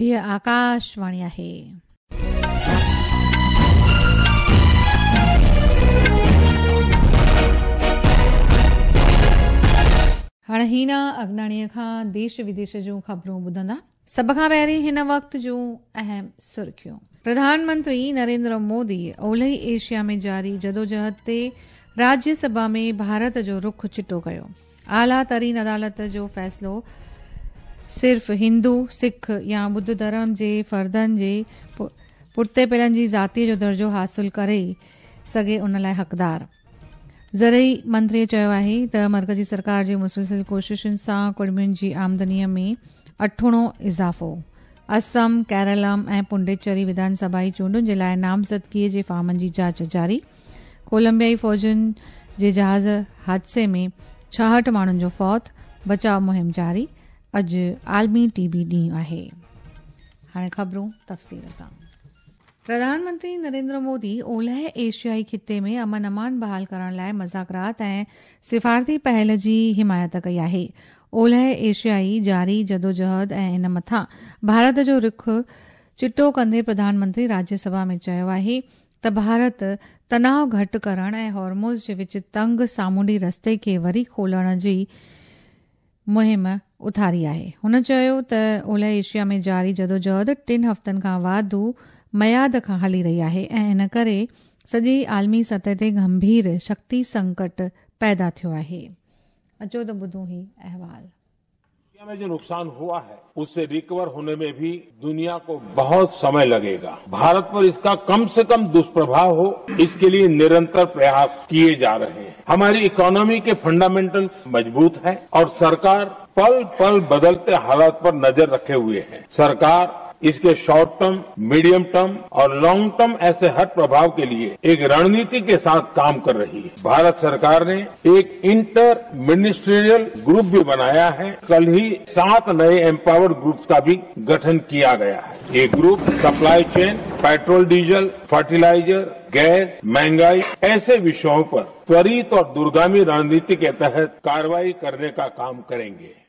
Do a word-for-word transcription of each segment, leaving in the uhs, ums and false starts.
हीअ आकाशवाणी आहे। हाणे हीना अगनाणीअ खां देश विदेश जूं ख़बरूं ॿुधंदा। सभ खां पहिरीं हिन वक़्त जूं अहम सुर्खियूं। प्रधानमंत्री नरेंद्र मोदी ओलही एशिया में जारी जदोजहद ते राज्यसभा में भारत जो रुख चिटो कयो। आला तरीन अदालत जो फ़ैसिलो सिर्फ़ हिंदू, सिख या बुद्ध धर्म जे फ़र्दनि जे पुठिते पियलनि जी ज़ातीअ जो दर्जो हासिल करे सघे उन लाइ हक़दार। ज़रई मंत्रीअ चयो आहे त मर्कज़ी सरकार जी मुसलसिल कोशिशुनि सां कुड़मियुनि जी आमदनीअ में अठुणो इज़ाफ़ो। असम, केरलम ऐं पुडुचेरी विधानसभाई चूंडुनि जे लाइ नामज़दगीअ जे फ़ॉर्मनि जी जांच जारी। कोलंबियाई फ़ौजुनि जे जहाज़ हादसे में छाहठि माण्हुनि जो फौत, बचाव मुहिम जारी। अॼु आलमी टीबी ॾींहुं आहे। हाणे ख़बरूं तफ़सील सां। प्रधानमंत्री नरेंद्र मोदी ओलह एशियाई ख़िते में अमन अमान बहाल करण लाइ मज़ाकरात ऐं सिफारती पहल जी हिमायत कई आहे। ओलह एशियाई जारी जदोजहद ऐं इन मथां भारत जो रुख चिटो कंदे प्रधानमंत्री राज्यसभा में चयो आहे त भारत तनाव घटि करण ऐं हॉर्मुज़ जे विच तंग सामुंडी रस्ते खे वरी खोलण जी मुहिम उथारी आहे। हुन चयो त ओलह एशिया में जारी जदोजहद टिनि हफ़्तनि खां वाधू मयाद खां हली रही आहे ऐं इन करे सॼी आलमी सतह ते गंभीर शक्ति संकट पैदा थियो आहे। अचो त ॿुधूं ही अहवाल। में जो नुकसान हुआ है उससे रिकवर होने में भी दुनिया को बहुत समय लगेगा। भारत पर इसका कम से कम दुष्प्रभाव हो, इसके लिए निरंतर प्रयास किए जा रहे हैं। हमारी इकोनॉमी के फंडामेंटल्स मजबूत है और सरकार पल पल बदलते हालात पर नजर रखे हुए है। सरकार इसके शॉर्ट टर्म, मीडियम टर्म और लॉन्ग टर्म ऐसे हर प्रभाव के लिए एक रणनीति के साथ काम कर रही है। भारत सरकार ने एक इंटर मिनिस्ट्रियल ग्रुप भी बनाया है। कल ही सात नए एम्पावर्ड ग्रुप्स का भी गठन किया गया है। ये group supply chain, petrol diesel, fertiliser, gas, महंगाई ऐसे विषयों पर त्वरित और दूरगामी रणनीति के तहत कार्रवाई करने का काम करेंगे।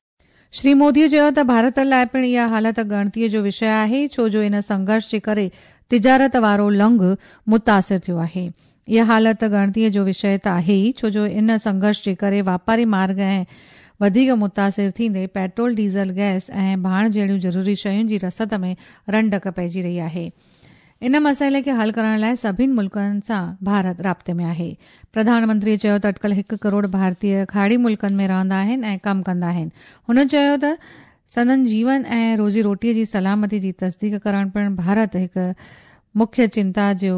श्री मोदीअ चयो त भारत लाइ पिणु इहा हालत ॻणतीअ जो विषय आहे, छो जो इन संघर्ष जे करे तिजारत वारो लंघ मुतासिर थियो आहे। इहा हालत ॻणतीअ जो विषय त आहे ई, छो जो इन संघर्ष जे करे वापारी मार्ग ऐं वधीक मुतासिर थींदे पेट्रोल, डीज़ल, गैस ऐं भाण जहिड़ियूं ज़रूरी शयुनि जी रसद में रंडक पइजी रही आहे। इन मसइले खे हल करण लाइ सभिनी मुल्कनि सां भारत राब्ते में आहे। प्रधानमंत्रीअ चयो त अटकल हिकु करोड़ भारतीय खाड़ी मुल्कनि में रहंदा आहिनि ऐं कमु कंदा आहिनि। हुन चयो त संदन जीवन ऐं रोज़ी रोटीअ जी सलामती जी तस्दीक करण पिणु भारत हिकु मुख्य चिंता जो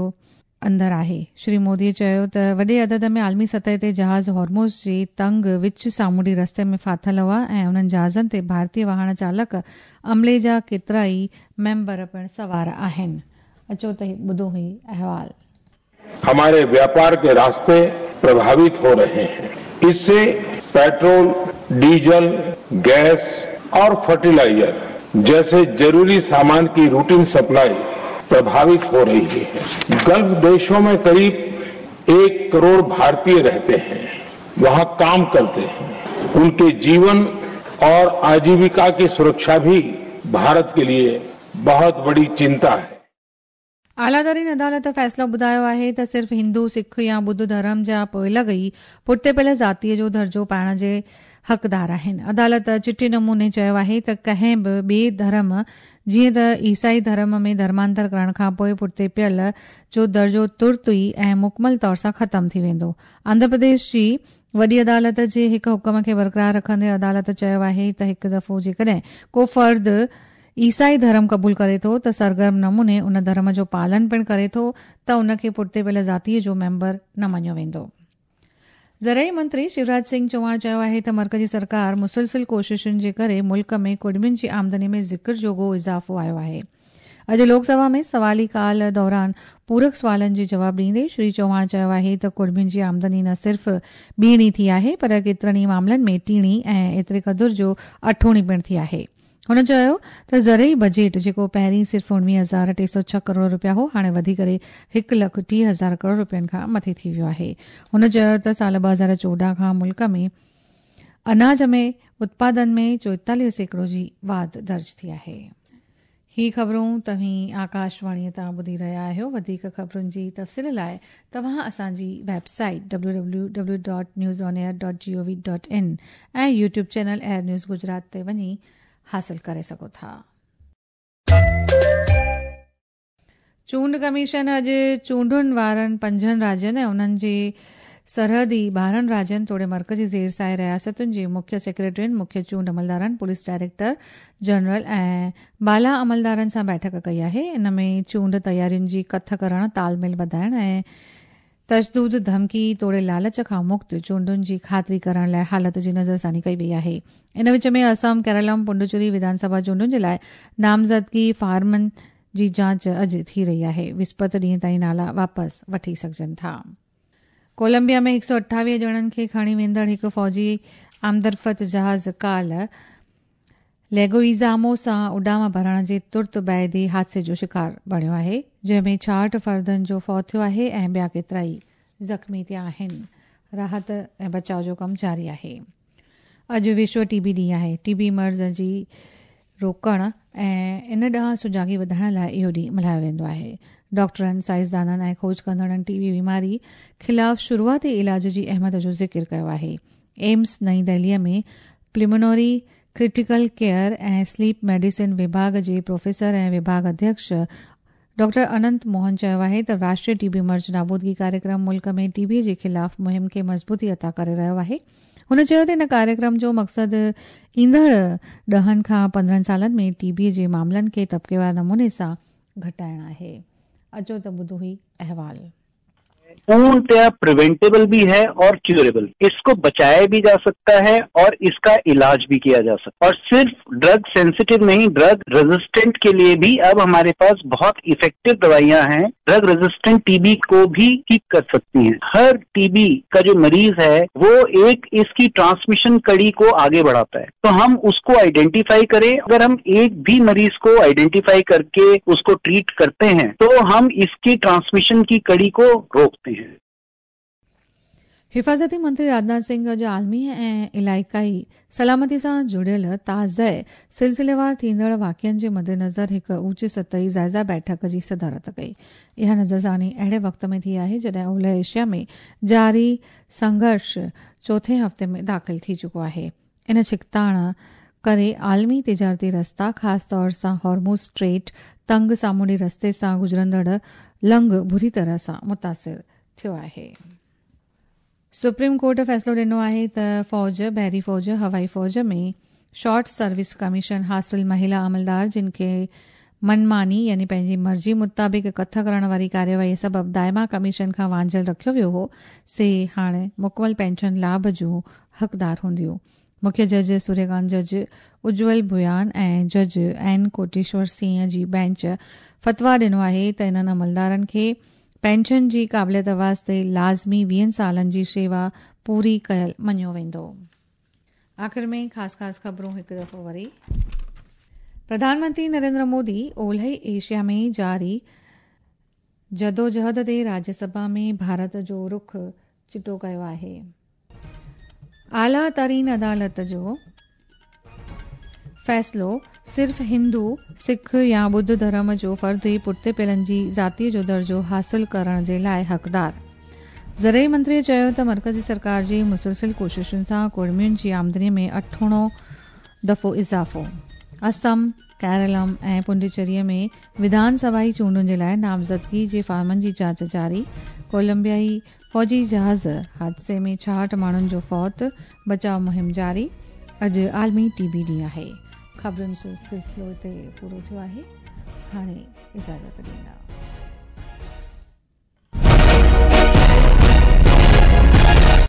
अंदरि आहे। श्री मोदीअ चयो त वॾे अदद में आलमी सतह ते जहाज़ हॉर्मुज़ जे तंग विच सामुंडी रस्ते में फाथिल हुआ ऐं उन्हनि जहाज़नि ते भारतीय वाहन चालक अमले जा केतिरा ई मेंबर पिणु सवार आहिनि। अचो त ॿुधो ही अहवाल। हमारे व्यापार के रास्ते प्रभावित हो रहे हैं। इससे पेट्रोल, डीजल, गैस और फर्टिलाइजर जैसे जरूरी सामान की रूटीन सप्लाई प्रभावित हो रही है। गल्फ देशों में करीब एक करोड़ भारतीय रहते हैं, वहां काम करते हैं। उनके जीवन और आजीविका की सुरक्षा भी भारत के लिए बहुत बड़ी चिंता है। आला तरीन अदालत फ़ैसिलो ॿुधायो आहे त सिर्फ़ हिंदू, सिख या बुद्ध धर्म जा पोइलॻ ई पुठिते पियल ज़ातीअ जो दर्जो पाइण जे हक़दार आहिनि। अदालत चिटे नमूने चयो आहे त कंहिं बि ॿिए धर्म जीअं त ईसाई धर्म में धर्मांतर करण खां पोइ पुठिते पियल जो दर्जो तुर्त ई ऐं मुकमल तौर सां ख़तमु थी वेंदो। आंध्र प्रदेश जी वॾी अदालत जे हिकु हुक्म खे बरक़रार रखंदे अदालत चयो आहे त हिकु दफ़ो जेकॾहिं को फ़र्द ईसाई धर्म क़बूल करे थो त सरगर्म नमूने उन धर्म जो पालन पिणु करे थो त उनखे पुठिते पियल ज़ातीअ जो मेंबर न मञियो वेंदो। ज़रई मंत्री शिवराज सिंह चौहान चयो आहे त मर्कज़ी सरकार मुसलसिल कोशिशुनि जे करे मुल्क में कुड़मियुनि जी आमदनी में ज़िक्र जोॻो इज़ाफ़ो आयो आहे। अॼु लोकसभा में सवाली काल दौरान पूरक सवालनि जे जवाब ॾींदे श्री चौहान चयो आहे त कुड़मियुनि जी आमदनी न सिर्फ़ ॿीणी थी आहे पर केतिरनि ई मामलनि में टीणी ऐं एतिरे क़दुरु जो अठूणी पिणु थी आहे। हुन चयो त ज़रई बजट जेको पहिरीं सिर्फ़ उणिवीह हज़ार टे सौ छह करोड़ रुपया हो, हाणे वधी करे हिकु लख टीह हज़ार करोड़ रुपयनि खां मथे थी वियो आहे। हुन चयो त साल ॿ हज़ार चोॾहं खां मुल्क में अनाज में उत्पादन में चोएतालीह सैकड़ो जी वाध दर्ज थी आहे। ही ख़बरूं तव्हीं आकाशवाणीअ तां ॿुधी रहिया आहियो। वधीक ख़बरुनि जी तफ़सील लाइ तव्हां असांजी website W W W dot news on air dot G O V dot in ऐं YouTube channel air news Gujarat ते वञी हासिल करे सघो था। चूंड कमीशन अॼु चूंडुनि वारनि पंजनि राज्यनि ऐं उन्हनि जे सरहदी ॿारहं राज्यनि तोड़े मर्कज़ी ज़ेर साए रियासतुनि जे मुख्य सेक्रेटरियुनि, मुख्य चूंड अमलदारनि, पुलिस डायरेक्टर जनरल ऐं बाला अमलदारनि सां बैठक कई आहे। इन में चूंड तयारियुनि जी कथ करणु, तालमेल वधाइण ऐं तशदुद, धमकी तोड़े लालच खां मुक्त चूंडुनि जी ख़ातिरी करण लाइ हालत जी नज़रसानी कई वई आहे। इन विच में असम, केरलम, पुडुचेरी विधानसभा चूंडुनि जे लाइ नामज़दगी फ़ॉर्मनि जी जांच अॼु थी रही आहे। विस्पत ॾींहं ताईं नाला वापसि वठी सघजनि था। कोलंबिया में हिकु सौ अठावीह ॼणनि खे खणी वेंदड़ हिकु फ़ौजी आमदरफ़त जहाज़ काल्ह लेगोइज़ामो सां उॾाम भरण जे तुर्त बाद ई हादसे जो शिकार बणियो आहे, जंहिंमें छाहठि फ़र्दनि जो फौत थियो आहे ऐं ॿिया केतिरा ई ज़ख़्मी थिया आहिनि। राहत ऐं बचाव जो कमु जारी आहे। अॼु विश्व टीबी ॾींहुं आहे। टीबी मर्ज़ जी रोकण ऐं इन ॾांहुं सुजागी वधाइण लाइ इहो ॾींहुं मल्हायो वेंदो आहे। डॉक्टरनि, साइंसदाननि ऐं खोज कंदड़नि टीबी बीमारी ख़िलाफ़ शुरूआती इलाज जी अहमियत जो ज़िक्र कयो आहे। एम्स नई दिल्लीअ में पल्मोनरी क्रिटिकल केयर ऐं स्लीप मेडिसिन विभाग जे प्रोफेसर ऐं विभाग अध्यक्ष डॉक्टर अनंत मोहन चयो आहे त राष्ट्रीय टीबी मर्ज़ नाबूदगी कार्यक्रम मुल्क में टीबी जे ख़िलाफ़ मुहिम खे मज़बूती अता करे रहियो आहे। हुन चयो त इन कार्यक्रम जो मक़सदु ईंदड़ ॾहनि खां पंद्रहं सालनि में टीबी जे मामलनि खे तबक़ेवार नमूने सां घटाइणु आहे। अचो त ॿुधो ही अहवाल। पूर्णतया प्रिवेंटेबल भी है और क्यूरेबल, इसको बचाया भी जा सकता है और इसका इलाज भी किया जा सकता है। और सिर्फ ड्रग सेंसिटिव नहीं, ड्रग रेजिस्टेंट के लिए भी अब हमारे पास बहुत इफेक्टिव दवाइयां हैं। ड्रग रेजिस्टेंट टीबी को भी ठीक कर सकती हैं। हर टीबी का जो मरीज है वो एक इसकी ट्रांसमिशन कड़ी को आगे बढ़ाता है, तो हम उसको आइडेंटिफाई करें। अगर हम एक भी मरीज को आइडेंटिफाई करके उसको ट्रीट करते हैं तो हम इसकी ट्रांसमिशन की कड़ी को रोकते हैं। हिफ़ाज़ती मंत्री राजनाथ सिंह अॼु आलमी ऐं इलाइक़ाई सलामती सां जुड़ियल ताज़े सिलसिलेवार थींदड़ वाक़िअनि जे मद्देनज़र हिकु ऊंची सतही जाइज़ा बैठक जी सदारत कई। इहा नज़रसानी अहिड़े वक़्त में थी आहे जॾहिं ओलह एशिया में जारी संघर्ष चोथें हफ़्ते में दाख़िल थी चुको आहे। इन छिकताण करे आलमी तिजारती रस्ता, ख़ासि तौर सां हॉर्मुज़ स्ट्रेट तंग सामुंडी रस्ते सां गुज़रंदड़ लंग बुरी तरह सां मुतासिर थियो आहे। सुप्रीम कोर्ट फ़ैसिलो ॾिनो आहे त फ़ौज, बहरी फ़ौज, हवाई फ़ौज में शॉर्ट सर्विस कमीशन हासिल महिला अमलदार जिन खे मनमानी यानी पंहिंजी मर्ज़ी मुताबिक़ कथ करण वारी कार्यवाही सबबि दाइमा कमीशन खां वांझियल रखियो वियो हो, से हाणे मुकमल पेंशन लाभ जूं हक़दार हूंदियूं। मुख्य जज सूर्यकांत, जज उज्ज्वल भुयान ऐं जज एन कोटेश्वर सिंह जी बेंच फतवा ॾिनो आहे त इन्हनि अमलदारनि खे पेंशन जी क़ाबिलियत वास्ते लाज़मी वीहनि सालनि जी शेवा पूरी कयल मञियो वेंदो। आख़िर में ख़ासि ख़ासि ख़बरूं हिकु दफ़ो वरी। प्रधानमंत्री नरेंद्र मोदी ओलह एशिया में जारी जदोजहद ते राज्यसभा में भारत जो रुख चिटो कयो आहे। आला तरीन अदालत जो फ़ैसिलो सिर्फ़ हिंदू, सिख या ॿुद्ध धर्म जो फ़र्द ई पुठिते पियलनि जी ज़ातीअ जो दर्जो हासिल करण जे लाइ हक़दार। ज़रई मंत्रीअ चयो त मर्कज़ी सरकार जी मुसलसिल कोशिशुनि सां कुड़मियुनि जी आमदनीअ में अठूणो दफ़ो इज़ाफ़ो। असम, केरलम ऐं पुडुचेरीअ में विधानसभाई चूंडुनि जे लाइ नामज़दगी जे फ़ॉर्मनि जी जांच जारी। कोलंबियाई फ़ौजी जहाज़ हादसे में छाहठि माण्हुनि जो फौत, बचाव मुहिम जारी। अॼु आलमी टीबी ॾींहुं आहे। ख़बरुनि जो सिलसिलो हिते पूरो थियो आहे। हाणे इजाज़त ॾींदा।